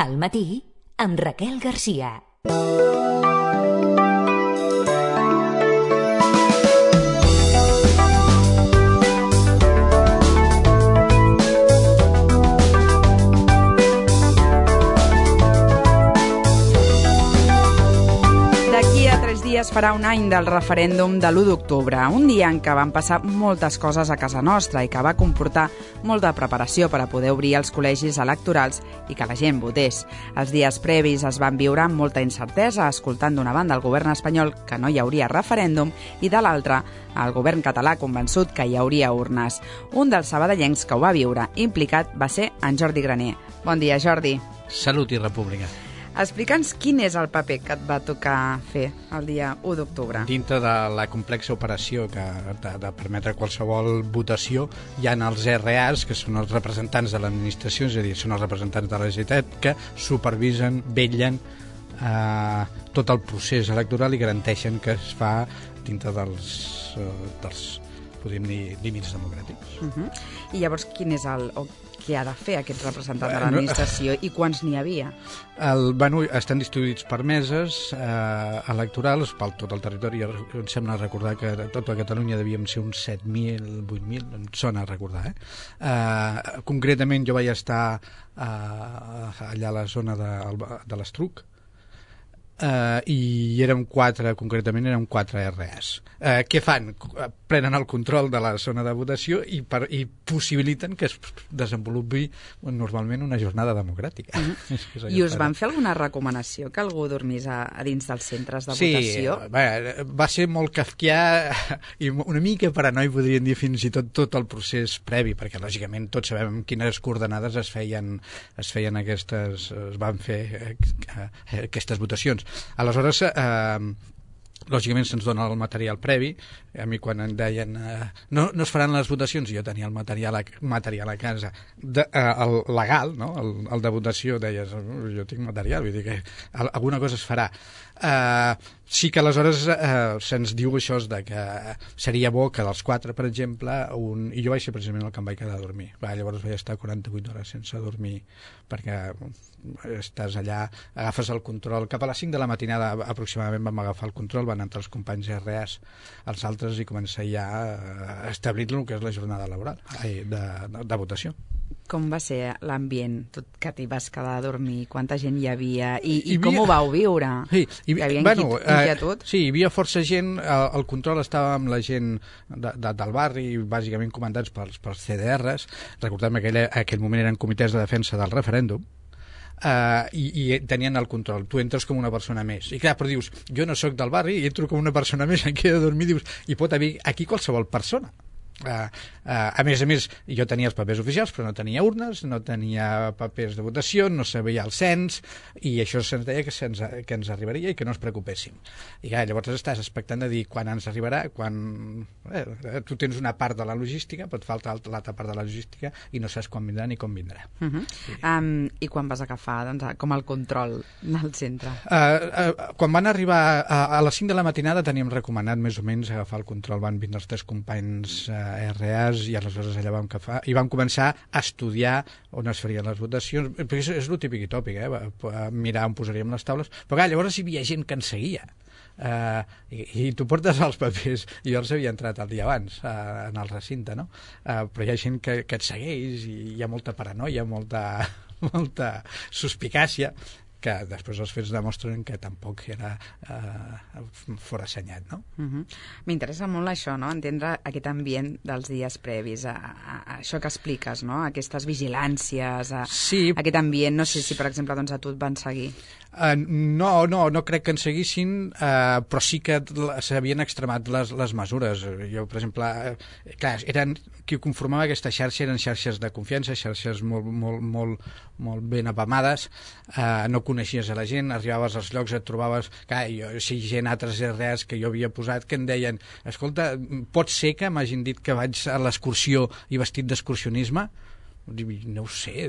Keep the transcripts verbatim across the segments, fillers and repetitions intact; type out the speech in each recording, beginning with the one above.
Al matí, amb Raquel Garcia. Es farà un any del referèndum de l'u d'octubre, un dia en què van passar moltes coses a casa nostra i que va comportar molta preparació per a poder obrir els col·legis electorals i que la gent votés. Els dies previs es van viure amb molta incertesa, escoltant d'una banda el govern espanyol que no hi hauria referèndum i de l'altra el govern català convençut que hi hauria urnes. Un dels sabadellencs que ho va viure implicat va ser en Jordi Graner. Bon dia, Jordi. Salut i república. Explica'ns quin és el paper que et va tocar fer el dia u d'octubre. Dintre de la complexa operació que de, de permetre qualsevol votació, hi ha els R As, que són els representants de l'administració, és a dir, són els representants de la Generalitat, que supervisen, vetllen eh, tot el procés electoral i garanteixen que es fa dintre dels, eh, dels podríem dir, límits democràtics. Uh-huh. I llavors, quin és el... O què ha de fer aquest representant de l'administració i quants n'hi havia? El, bueno, estan distribuïts per meses eh, electorals per tot el territori. Em sembla recordar que a tota Catalunya devíem ser uns set mil, vuit mil, em sona a recordar. Eh? Eh, concretament jo vaig estar eh, allà a la zona de, de l'Estruc, Uh, i érem quatre, concretament érem quatre R As. Uh, què fan? Prenen el control de la zona de votació i, per, i possibiliten que es desenvolupi normalment una jornada democràtica. Uh-huh. I us van fer alguna recomanació que algú dormís a, a dins dels centres de sí, votació? Sí, va, va ser molt kafkià i una mica paranoi, podríem dir, fins i tot tot el procés previ, perquè lògicament tots sabem quines coordenades es feien, es feien aquestes, es van fer eh, aquestes votacions. Aleshores, eh, lògicament se'ns dona el material previ. A mi quan em deien eh, no, no es faran les votacions, jo tenia el material a, material a casa de, eh, el legal, no? el, el de votació, deies, jo tinc material, vull dir que alguna cosa es farà. Eh, sí que aleshores eh, se'ns diu això de que seria bo que dels quatre, per exemple, un... i jo vaig ser precisament el que em vaig quedar a dormir. Va, llavors vaig estar quaranta-vuit hores sense dormir perquè estàs allà, agafes el control. Cap a les cinc de la matinada aproximadament vam agafar el control, van entrar els companys R As, els altres, i començar ja a establir el que és la jornada laboral de, de, de votació. Com va ser l'ambient, tot que t'hi vas quedar a dormir? Quanta gent hi havia? I, i, i com havia... ho vau viure? Sí, hi, hi havia bueno, inquietud? Eh, sí, hi havia força gent, el, el control estava amb la gent de, de, del barri, bàsicament comandats pels, pels C D Rs. Recordem que aquell, aquell moment eren comitès de defensa del referèndum. Uh, i, i tenien el control. Tu entres com una persona més i clar, però dius, jo no sóc del barri i entro com una persona més, em quedo a dormir, dius, i pot haver aquí qualsevol persona. Uh, uh, a més a més, jo tenia els papers oficials però no tenia urnes, no tenia papers de votació, no sabia el cens, i això se'ns deia que, se'ns, que ens arribaria i que no ens preocupéssim. I clar, llavors estàs expectant de dir quan ens arribarà, quan eh, tu tens una part de la logística, pot faltar l'altra part de la logística i no saps quan vindrà ni com vindrà. Uh-huh. sí. um, I quan vas agafar doncs, com el control del centre? Uh, uh, quan van arribar a, a les cinc de la matinada teníem recomanat més o menys agafar el control. Van vindre els tres companys uh, R As i aleshores allà vam, cafar, i vam començar a estudiar on es farien les votacions, perquè és, és el típic i tòpic, eh? Mirar on posaríem les taules, però clar, llavors hi havia gent que ens seguia. Uh, i, i tu portes els papers, i jo els havia entrat el dia abans uh, en el recinte, no? Uh, però hi ha gent que, que et segueix i hi ha molta paranoia, molta, molta suspicàcia, que després els fets demostren que tampoc era eh, forassenyat, no? Uh-huh. M'interessa molt això, no? Entendre aquest ambient dels dies previs, a, a, a això que expliques, no? Aquestes vigilàncies, a, sí. aquest ambient, no sé si, per exemple, doncs a tu et van seguir. Uh, no, no, no crec que en seguissin, uh, però sí que s'havien extremat les, les mesures. Jo, per exemple, uh, clar, eren, qui conformava aquesta xarxa eren xarxes de confiança, xarxes molt, molt, molt, molt ben apamades, uh, no coneixies a la gent, arribaves als llocs, et trobaves, clar, jo, si gent, altres R As que jo havia posat, que em deien, escolta, pot ser que m'hagin dit que vaig a l'excursió i vestit d'excursionisme? No ho sé,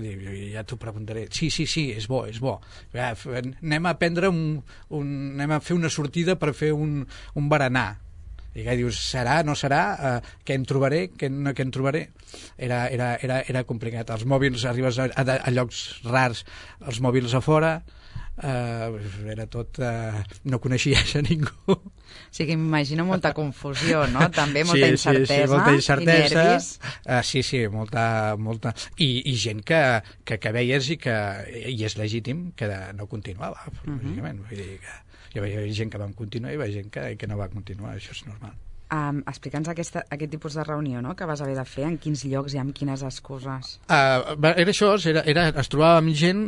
ja t'ho preguntaré. Sí, sí, sí, és bo, és bo. Ja, anem a prendre un, un... anem a fer una sortida per fer un, un berenar. I que dius, serà, no serà, uh, què en trobaré, què en, què en trobaré? Era, era, era, era complicat. Els mòbils, arribes a, a, a llocs rars, els mòbils a fora, uh, era tot... Uh, no coneixies a ningú. O sigui, m'imagino molta confusió, no? També molta sí, incertesa, sí, sí, molta incertesa i nervis. Uh, sí, sí, molta... molta... I, i gent que, que, que veies i que i és legítim que no continuava, uh-huh. lògicament. Vull dir que hi havia gent que vam continuar i hi havia gent que, que no va continuar, això és normal. Um, Explica'ns aquesta, aquest tipus de reunió, no?, que vas haver de fer, en quins llocs i amb quines excuses. Uh, era això, era, era, es trobava amb gent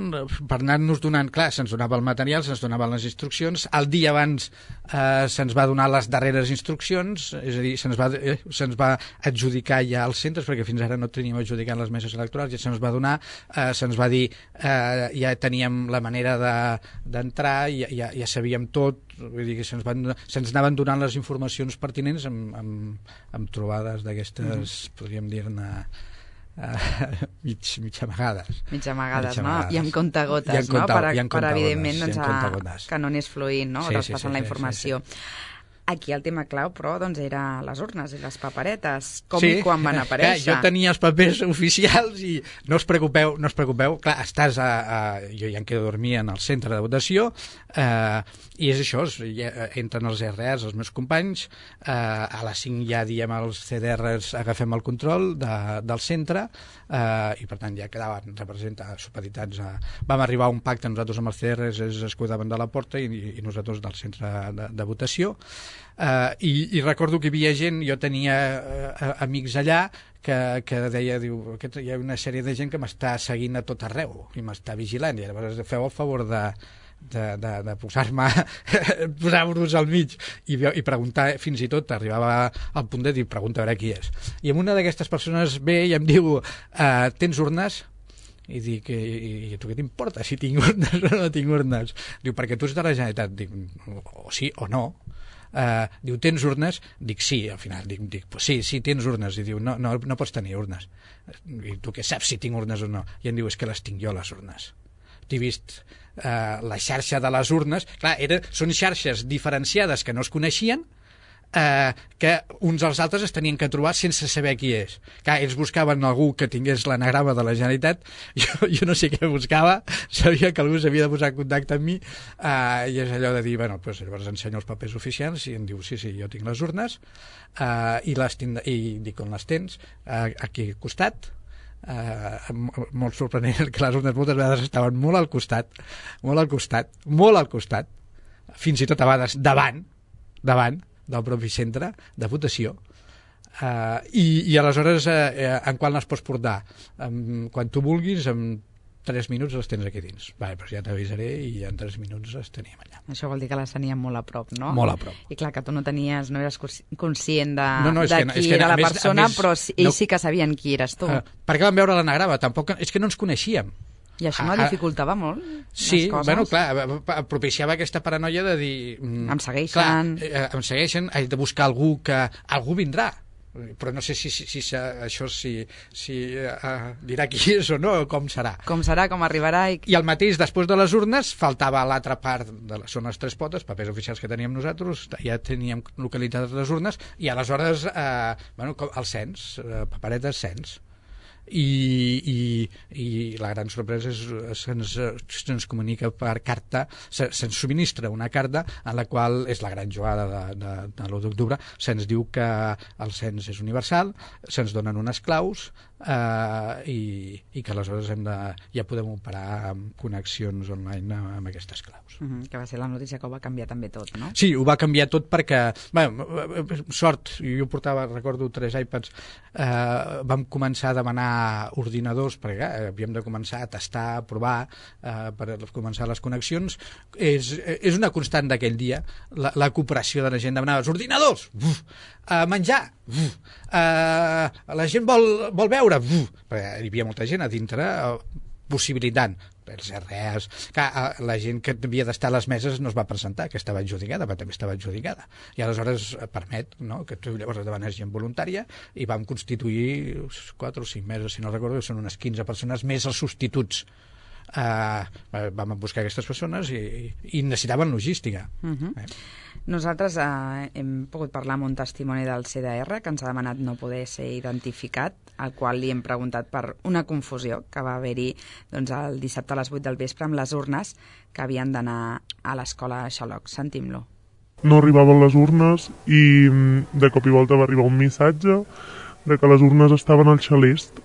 per anar-nos donant, clar, se'ns donava el material, se'ns donaven les instruccions, el dia abans uh, se'ns va donar les darreres instruccions, és a dir, se'ns va, eh, se'ns va adjudicar ja als centres, perquè fins ara no teníem adjudicat les meses electorals, ja se'ns va donar, uh, se'ns va dir, uh, ja teníem la manera d'entrar, de, ja, ja, ja sabíem tot, vull dir que se'ns van, se'ns anaven donant les informacions pertinents amb, amb, amb trobades d'aquestes, mm-hmm. podríem dir-ne, uh, mig, mig amagades. Mig amagades, no? I amb contagotes, no? Per, per evidentment, doncs, a, que no anés fluint, no? Sí, traspassant sí, sí, la informació. Sí, sí. Aquí el tema clau, però, doncs, era les urnes i les paperetes. Com sí, i quan van aparèixer? Clar, jo tenia els papers oficials i no us preocupeu, no us preocupeu. Clar, estàs a... a jo ja em quedo a dormir en el centre de votació eh, i és això, ja entren els R Rs, els meus companys, eh, a les cinc ja diem als C D Rs agafem el control de, del centre eh, i per tant ja quedaven representats, supeditats a... Vam arribar a un pacte nosaltres amb els C D Rs, ells es cuidaven de la porta i, i nosaltres del centre de, de votació. Uh, i, i recordo que hi havia gent, jo tenia uh, amics allà que, que deia, diu, que hi ha una sèrie de gent que m'està seguint a tot arreu i m'està vigilant, i llavors feu el favor de, de, de, de posar-me posar-vos al mig i, i preguntar, fins i tot arribava al punt de dir, pregunta a veure qui és, i una d'aquestes persones ve i em diu uh, tens urnes? I dic, i, i tu què t'importa si tinc urnes o no tinc urnes? Diu, perquè tu ets de la Generalitat. Dic, o sí o no. Uh, diu, tens urnes? Dic, sí, al final dic, dic pues sí, sí, tens urnes. I diu, no, no, no pots tenir urnes. I tu què saps si tinc urnes o no? I em diu, és que les tinc jo, les urnes. T'he vist uh, la xarxa de les urnes. Clar, era, són xarxes diferenciades que no es coneixien, Eh, que uns als altres es tenien que trobar sense saber qui és. Clar, ells buscaven algú que tingués l'anagrama de la Generalitat, jo, jo no sé què buscava, sabia que algú s'havia de posar en contacte amb mi, eh, i és allò de dir, bueno, doncs llavors ensenyo els papers oficials i em diu, sí, sí, jo tinc les urnes, eh, i, les tinc, i dic, on les tens? Eh, aquí al costat. Uh, molt sorprenent que les urnes moltes vegades estaven molt al costat, molt al costat, molt al costat, fins i tot a vegades davant, davant, del propi centre de votació, uh, i, i aleshores uh, en qual les pots portar? Um, quan tu vulguis, en tres minuts les tens aquí dins. Vale, doncs ja t'avisaré i en tres minuts les teníem allà. Això vol dir que les teníem molt a prop, no? Molt a prop. I clar, que tu no tenies, no eres conscient de, no, no, de que, qui que, era la més, persona, més, però ells no, sí que sabien qui eres tu. Uh, perquè vam veure l'anagrama, tampoc, és que no ens coneixíem. I això no dificultava molt sí, les coses? Bueno, clar, propiciava aquesta paranoia de dir... Em segueixen... Clar, em segueixen, he de buscar algú que... Algú vindrà, però no sé si, si, si això si, si uh, dirà qui és o no, com serà. Com serà, com arribarà... I, I el mateix, després de les urnes, faltava l'altra part, de les, són les tres potes, papers oficials que teníem nosaltres, ja teníem localitzades les urnes, i aleshores, eh, bueno, el cens, eh, paperetes cens. I, i, i la gran sorpresa és que se'ns, se'ns comunica per carta, se, se'ns subministra una carta en la qual és la gran jugada de, de, de l'u d'octubre, se'ns diu que el cens és universal, se'ns donen unes claus eh, i, i que aleshores hem de, ja podem operar amb connexions online amb aquestes claus. Uh-huh, que va ser la notícia que ho va canviar també tot, no? Sí, ho va canviar tot perquè, bueno, sort, jo portava, recordo, tres iPads, eh, vam començar a demanar ordinadors, perquè eh, havíem de començar a tastar, a provar, eh, per començar les connexions. És, és una constant d'aquell dia, la, la cooperació de la gent, demanava els ordinadors, uf, eh, menjar, uf, eh, la gent vol, vol veure, uf, perquè hi havia molta gent a dintre, eh, possibilitant els R Es, que la gent que havia d'estar a les meses no es va presentar, que estava adjudicada, però també estava adjudicada. I aleshores permet, no?, que tu llavors demanes gent voluntària i vam constituir quatre o cinc meses, si no recordo, són unes quinze persones més els substituts eh, vam buscar aquestes persones i, i necessitaven logística. Uh-huh. eh? Nosaltres eh, hem pogut parlar amb un testimoni del C D R que ens ha demanat no poder ser identificat, al qual li hem preguntat per una confusió que va haver-hi doncs, el dissabte a les vuit del vespre amb les urnes que havien d'anar a l'escola Xaloc. Sentim-lo. No arribaven les urnes i de cop i volta va arribar un missatge de que les urnes estaven al Xalest.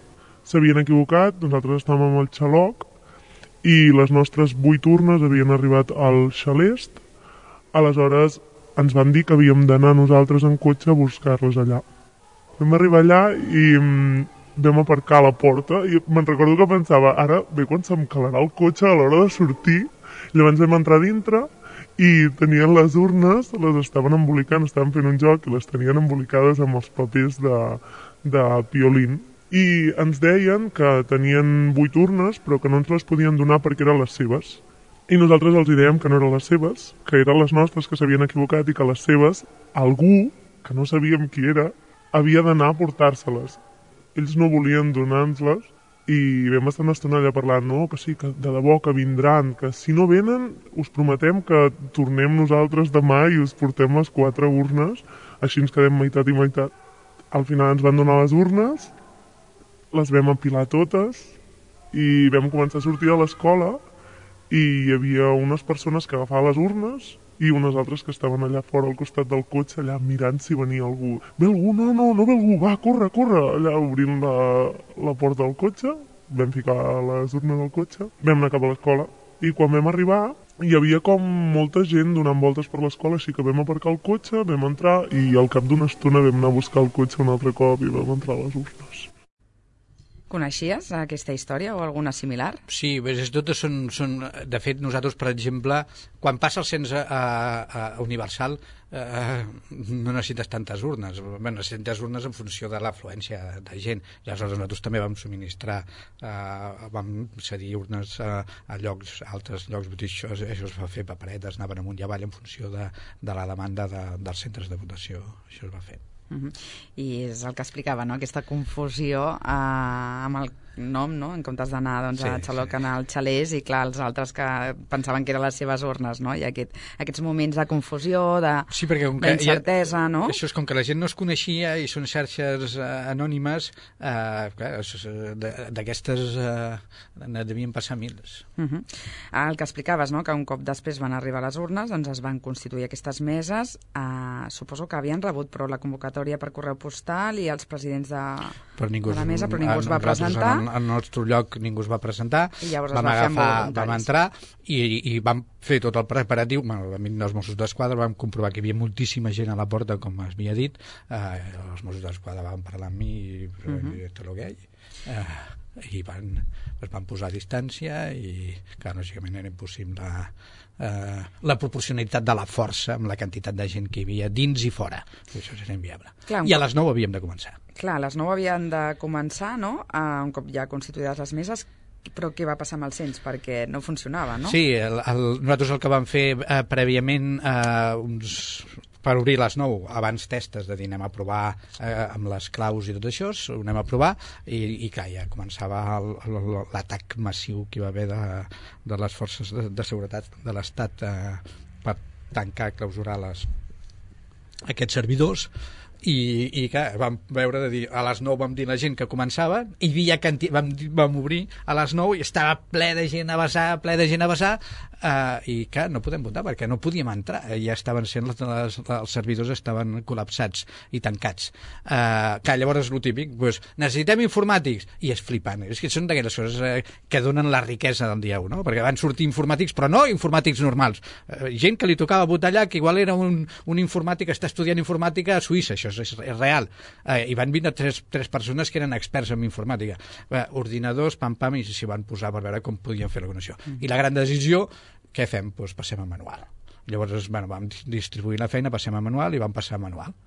S'havien equivocat, nosaltres estàvem al Xaloc i les nostres vuit urnes havien arribat al Xalest. Aleshores ens van dir que havíem d'anar nosaltres en cotxe a buscar-les allà. Vam arribar allà i vam aparcar a la porta i me'n recordo que pensava, ara bé quan se'm calarà el cotxe a l'hora de sortir. Llavors vam entrar dintre i tenien les urnes, les estaven embolicant, estaven fent un joc i les tenien embolicades amb els papers de, de piolín. I ens deien que tenien vuit urnes però que no ens les podien donar perquè eren les seves. I nosaltres els dèiem que no eren les seves, que eren les nostres, que s'havien equivocat i que les seves, algú, que no sabíem qui era, havia d'anar a portar-se-les. Ells no volien donar-nos-les i vam estar una estona allà parlant, no, que sí, que de debò que vindran, que si no venen us prometem que tornem nosaltres demà i us portem les quatre urnes, així ens quedem meitat i meitat. Al final ens van donar les urnes, les vam apilar totes i vam començar a sortir a l'escola i hi havia unes persones que agafaven les urnes i unes altres que estaven allà fora al costat del cotxe, allà mirant si venia algú. Ve algú? No, no, no ve algú, va, corre, corre! Allà obrint la, la porta del cotxe, vam ficar les urnes al cotxe, vam anar cap a l'escola i quan vam arribar hi havia com molta gent donant voltes per l'escola, així que vam aparcar el cotxe, vam entrar i al cap d'una estona vam anar a buscar el cotxe un altre cop i vam entrar a les urnes. Coneixies aquesta història o alguna similar? Sí, bé, totes són, són... De fet, nosaltres, per exemple, quan passa el cens a, a, a universal, eh, no necessites tantes urnes. Bé, necessites urnes en funció de l'afluència de gent. I aleshores nosaltres també vam subministrar, eh, vam cedir urnes a, a llocs, altres llocs, això, això es va fer paperetes, anaven amunt i avall en funció de, de la demanda de, dels centres de votació. Això es va fer. Uh-huh. I és el que explicava, no? Aquesta confusió eh, amb el nom, no? En comptes d'anar doncs, sí, a Xaloc, sí. Anar al Xalès, i clar, els altres que pensaven que eren les seves urnes, no? I aquest, aquests moments de confusió, de, sí, d'incertesa, ha, no? Això és com que la gent no es coneixia i són xarxes eh, anònimes, eh, d'aquestes eh, ne devien passar mils. Uh-huh. El que explicaves, no? Que un cop després van arribar les urnes, doncs es van constituir aquestes meses, eh, suposo que havien rebut però la convocatòria per correu postal i els presidents de, ningú, de la mesa, però ningú es va presentar. Al nostre lloc ningú es va presentar, I llavors vam, es va agafar, vam entrar i, i vam fer tot el preparatiu. Bueno, vam venir els Mossos d'Esquadra, vam comprovar que hi havia moltíssima gent a la porta, com havia dit. Eh, els Mossos d'Esquadra van parlar amb mi i uh-huh. tot el que hi ha. Eh, i van, es van posar a distància i, clar, lògicament era impossible eh, la proporcionalitat de la força amb la quantitat de gent que hi havia dins i fora. Això era inviable. Clar, I a les nou havíem de començar. Clar, a les nou havien de començar, no? Uh, un cop ja constituïdes les meses, però què va passar amb el cens? Perquè no funcionava, no? Sí, el, el, nosaltres el que vam fer eh, prèviament, eh, uns, per obrir les nou, abans testes de dir anem a provar eh, amb les claus i tot això, ho anem a provar, i, i clar, ja començava l'atac massiu que hi va haver de, de les forces de, de seguretat de l'Estat eh, per tancar, clausurar les, aquests servidors. I, i clar, vam veure de dir, a les nou vam dir la gent que començava, i havia canti... vam, vam obrir a les nou i estava ple de gent a vessar, ple de gent a vessar, eh, i clar, no podem votar perquè no podíem entrar, ja estaven sent les, les, els servidors estaven col·lapsats i tancats. Eh, clar, llavors el típic, doncs, necessitem informàtics, i és flipant, és que són d'aquelles coses eh, que donen la riquesa del dia u, no? Perquè van sortir informàtics, però no informàtics normals, eh, gent que li tocava votar allà, que igual era un, un informàtic que està estudiant informàtica a Suïssa, això és, és real, eh, i van vindre tres, tres persones que eren experts en informàtica, eh, ordinadors, pam pam, i s'hi van posar per veure com podien fer la connexió. Mm. I la gran decisió, què fem? Doncs passem a manual. Llavors, bueno, vam distribuir la feina, passem a manual i vam passar a manual.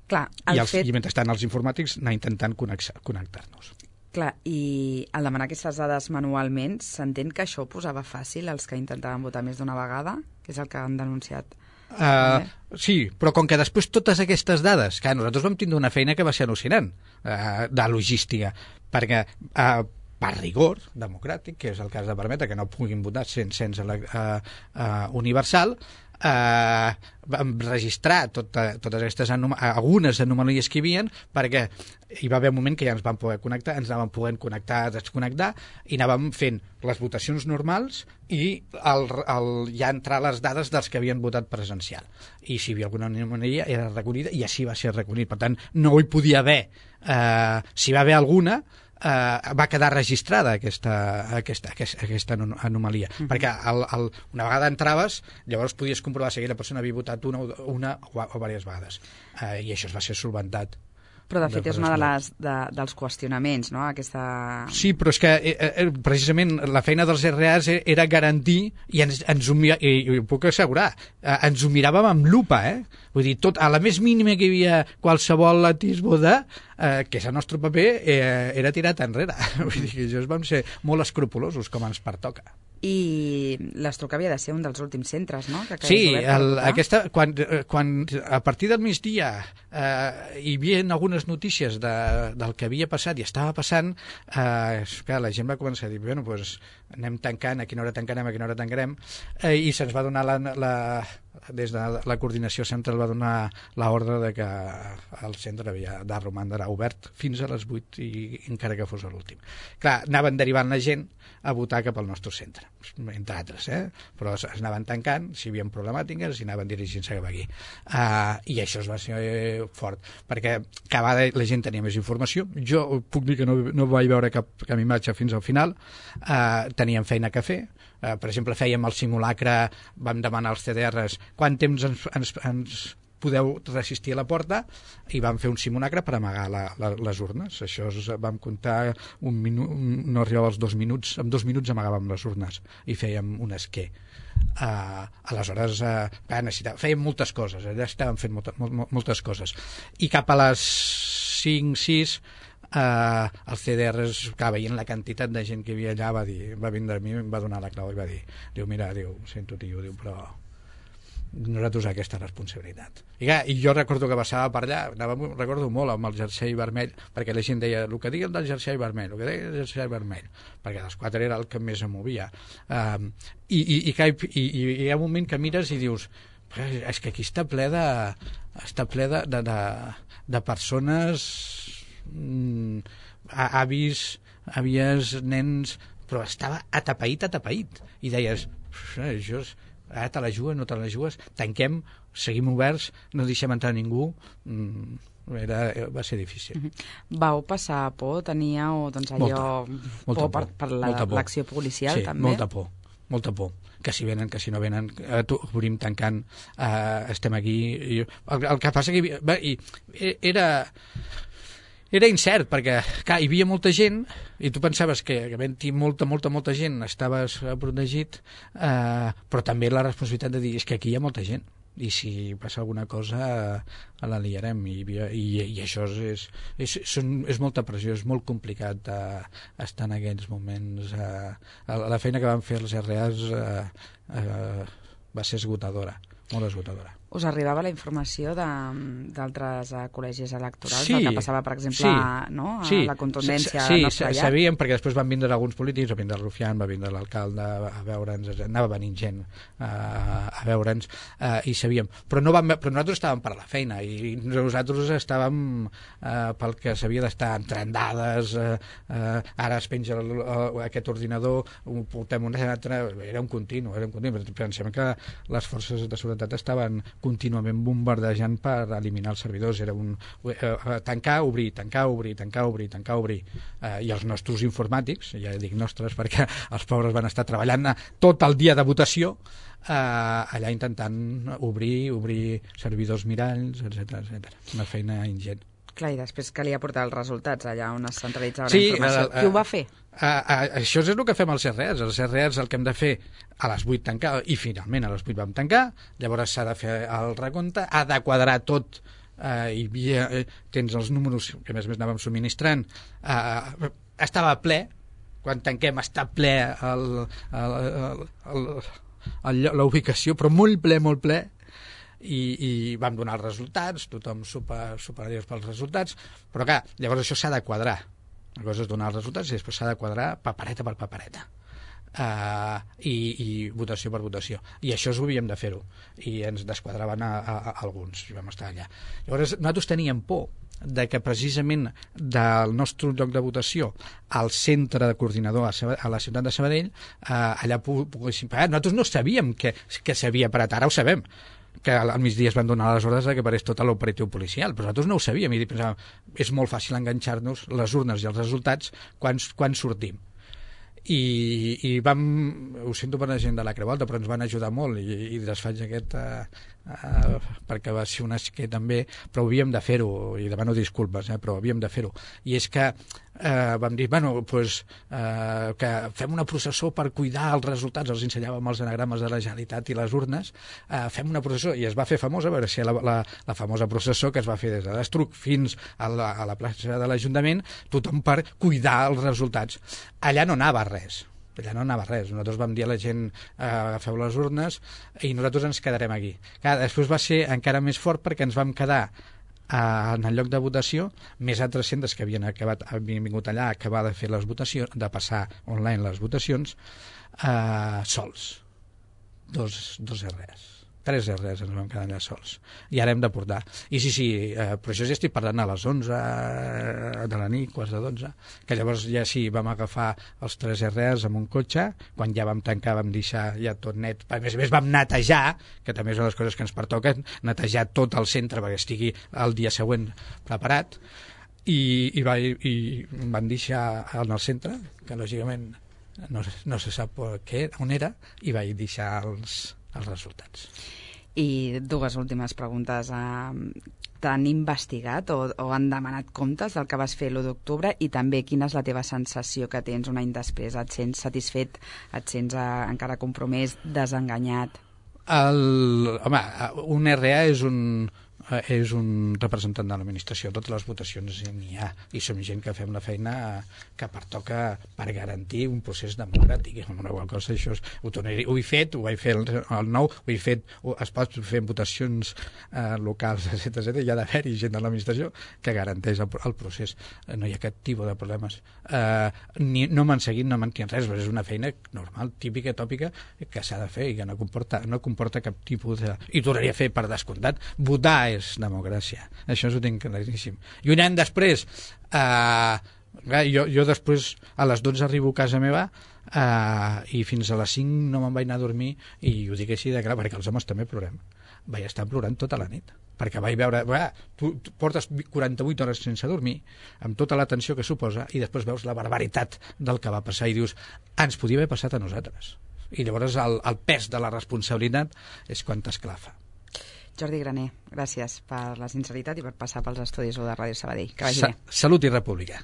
Clar, I, els, fet... i mentrestant els informàtics anar intentant connectar-nos. Clar, i al demanar aquestes dades manualment, s'entén que això ho posava fàcil als que intentaven votar més d'una vegada, que és el que han denunciat. Uh, sí, però com que després totes aquestes dades, que nosaltres vam tindre una feina que va ser al·lucinant, uh, de logística, perquè uh, per rigor democràtic, que és el cas de permetre que no puguin votar sense cens uh, uh, universal, Uh, vam registrar tota, totes aquestes anom algunes anomalies que hi havia, perquè hi va haver un moment que ja ens vam poder connectar, ens anàvem podent connectar, desconnectar, i anàvem fent les votacions normals i el, el, ja entrar les dades dels que havien votat presencial, i si hi havia alguna anomalia era recollida, i així va ser recollit. Per tant, no hi podia haver, uh, si va haver alguna, Uh, va quedar registrada aquesta, aquesta, aquesta, aquesta anomalia, mm-hmm. perquè el, el, una vegada entraves, llavors podies comprovar si aquella persona havia votat una, una o, o diverses vegades, uh, i això es va ser solventat. Però de fet és una de les, de, dels qüestionaments, no? Aquesta... Sí, però és que eh, precisament la feina dels R As era garantir, i ens, ens ho, i, i ho puc assegurar, eh, ens ho miràvem amb lupa, eh? Vull dir, tot, a la més mínima que hi havia qualsevol atisbo de, eh, que és el nostre paper, eh, era tirat enrere. Vull dir que això vam ser molt escrupulosos, com ens pertoca. I l'Estruc havia de ser un dels últims centres, no? Que sí, el, aquesta, quan, quan a partir del migdia eh, hi havia algunes notícies de, del que havia passat i estava passant, eh, clar, la gent va començar a dir, bueno, doncs anem tancant, a quina hora tancarem, a quina hora tancarem, eh, i se'ns va donar la, la, des de la coordinació central va donar l'ordre de que el centre havia de romandre obert fins a les vuit, i encara que fos l'últim. Clar, anaven derivant la gent a votar cap al nostre centre, entre altres, eh? Però es anaven tancant, si hi havia problemàtiques, i anaven dirigint-se cap aquí. Uh, I això es va ser fort, perquè cada vegada la gent tenia més informació. Jo puc dir que no, no vaig veure cap, cap imatge fins al final, uh, teníem feina que fer. Uh, per exemple, fèiem el simulacre, vam demanar als C D Rs quant temps ens, ens, ens podeu resistir a la porta, i vam fer un simulacre per amagar la, la, les urnes. Això es, vam comptar un minut, no arribava als dos minuts, en dos minuts amagàvem les urnes i fèiem un esquer. Uh, aleshores uh, fèiem moltes coses, allà estàvem fent molta, mol, moltes coses, i cap a les cinc sis Uh, el C D Rs, que veient la quantitat de gent que hi havia allà, va, dir, va vindre a mi, em va donar la clau i va dir, diu, mira, diu, sento tio, diu, però nosaltres aquesta responsabilitat. I, clar, i jo recordo que passava per allà, anava, recordo molt amb el jersei vermell, perquè la gent deia, el que digui del jersei vermell, el que digui del jersei vermell, perquè dels quatre era el que més em movia. Um, i, i, i, i, i hi ha un moment que mires i dius, és que aquí està ple de, està ple de, de, de, de persones, mm, avis, àvies, nens, però estava atapeït, atapeït, i deies, això és, ara te la jugues, no te la jugues, tanquem, seguim oberts, no deixem entrar ningú. mm, era, va ser difícil. Mm-hmm. Vau passar por? Teníeu doncs, allò molta, molta por, por per l'acció la, policial, sí, també? molta por, molta por. Que si venen, que si no venen, eh, obrim tancant, eh, estem aquí. I, el, el que passa que hi havia, va, i, era... Era incert, perquè clar, hi havia molta gent i tu pensaves que havent-hi molta, molta, molta gent estaves protegit, eh, però també la responsabilitat de dir és que aquí hi ha molta gent i si passa alguna cosa eh, la liarem, i, i, i això és, és, és, és molta pressió, és molt complicat eh, estar en aquells moments. Eh, la feina que van fer els R As eh, eh, va ser esgotadora, molt esgotadora. Us arribava la informació d'altres uh, col·legis electorals, sí, del que passava, per exemple, sí, no? a sí, la contundència sí, nostra sí, sabíem, perquè després van vindre alguns polítics, va vindre el Rufián, va vindre l'alcalde a veure'ns, anava venint gent uh, a veure'ns, uh, i sabíem. Però, no vam, però nosaltres estàvem per la feina, i nosaltres estàvem uh, pel que s'havia d'estar entrant dades, uh, uh, ara es penja el, uh, aquest ordinador, ho portem un altre, era un continu, era un continu. Pensem que les forces de seguretat estaven contínuament bombardejant per eliminar els servidors. Era un eh, tancar, obrir, tancar, obrir, tancar, obrir, tancar, obrir. Eh, I els nostres informàtics, ja dic nostres perquè els pobres van estar treballant tot el dia de votació, eh, allà intentant obrir, obrir servidors miralls, etcètera, etcètera. Una feina ingent. Clar, i després calia portar els resultats allà on es centralitzava sí, la informació. Uh, uh, Qui ho va fer? Uh, uh, això és el que fem als R As. Els R As el que hem de fer a les vuit tancar, i finalment a les vuit vam tancar, llavors s'ha de fer el recompte, ha de quadrar tot, uh, i havia, uh, tens els números que més més anàvem subministrant, uh, estava ple, quan tanquem està ple la ubicació, però molt ple, molt ple, I, i vam donar els resultats, tothom super, superior pels resultats, però clar, llavors això s'ha de quadrar, una cosa és donar els resultats i després s'ha de quadrar papereta per papereta. Uh, i, i votació per votació, i això ho havíem de fer-ho, i ens desquadraven a, a, a alguns, i vam estar allà. Llavors nosaltres teníem por de que precisament del nostre lloc de votació al centre de coordinador a, Sabadell, a la ciutat de Sabadell, uh, allà poguéssim parar. Nosaltres no sabíem que, que s'havia parat, ara ho sabem, que al migdia es van donar les ordres que parés tot l'operatiu policial, però nosaltres no ho sabíem i pensàvem, és molt fàcil enganxar-nos les urnes i els resultats quan, quan sortim. I, i vam, ho sento per la gent de la Creu Alta, però ens van ajudar molt i, i desfaig aquest uh, uh, perquè va ser un esquer també, però havíem de fer-ho i demano disculpes, eh, però havíem de fer-ho, i és que Uh, vam dir, bueno, pues, uh, que fem una processó per cuidar els resultats, els ensenyàvem els anagrames de la Generalitat i les urnes, uh, fem una processó, i es va fer famosa, a veure si la, la, la famosa processó que es va fer des de l'Estruc fins a la, a la plaça de l'Ajuntament, tothom per cuidar els resultats. Allà no anava res, allà no anava res. Nosaltres vam dir a la gent, eh, agafeu les urnes i nosaltres ens quedarem aquí. Clar, després va ser encara més fort perquè ens vam quedar en el lloc de votació més altres centres que havien, acabat, havien vingut allà a acabar de fer les votacions, de passar online les votacions, eh, sols. Dos, dos erres. Tres erres ens vam quedar allà sols. I ara hem de portar. I sí, sí, eh, però això ja estic parlant a les onze de la nit, quarts de dotze, que llavors ja sí, vam agafar els tres erres amb un cotxe, quan ja vam tancar vam deixar ja tot net. A més a més vam netejar, que també és una de les coses que ens pertoquen, netejar tot el centre perquè estigui el dia següent preparat, i, i, va, i van deixar en el centre, que lògicament no, no se sap què, on era, i vaig deixar els els resultats. I dues últimes preguntes. T'han investigat o, o han demanat comptes del que vas fer l'u d'octubre, i també quina és la teva sensació que tens un any després? Et sents satisfet? Et sents eh, encara compromès, desenganyat? El, home, un R A és un és un representant de l'administració. Totes les votacions n'hi ha, i som gent que fem la feina que pertoca per garantir un procés democràtic. Una cosa, això és, ho, tornaré, ho he fet, ho vaig fer el, el nou, ho he fet, ho, es pot fer votacions eh, locals, etcètera, etcètera. Hi ha d'haver-hi gent de l'administració que garanteix el, el procés. No hi ha cap tipus de problemes. Eh, ni, no m'han seguit, no m'han tingut res, però és una feina normal, típica, tòpica, que s'ha de fer i que no comporta, no comporta cap tipus de... I tornaria a fer, per descomptat, votar és democràcia. Això ho tinc claríssim. I un any després, eh, jo, jo després a les dotze arribo a casa meva eh, i fins a les cinc no me'n vaig anar a dormir, i ho dic així de clar, perquè els homes també plorem. Vaig estar plorant tota la nit, perquè vaig veure, va, tu, tu portes quaranta-vuit hores sense dormir, amb tota la tensió que suposa, i després veus la barbaritat del que va passar i dius, ens podia haver passat a nosaltres. I llavors el, el pes de la responsabilitat és quan t'esclafa. Jordi Graner, gràcies per la sinceritat i per passar pels estudis de Ràdio Sabadell. Que vagi bé. Salut i república.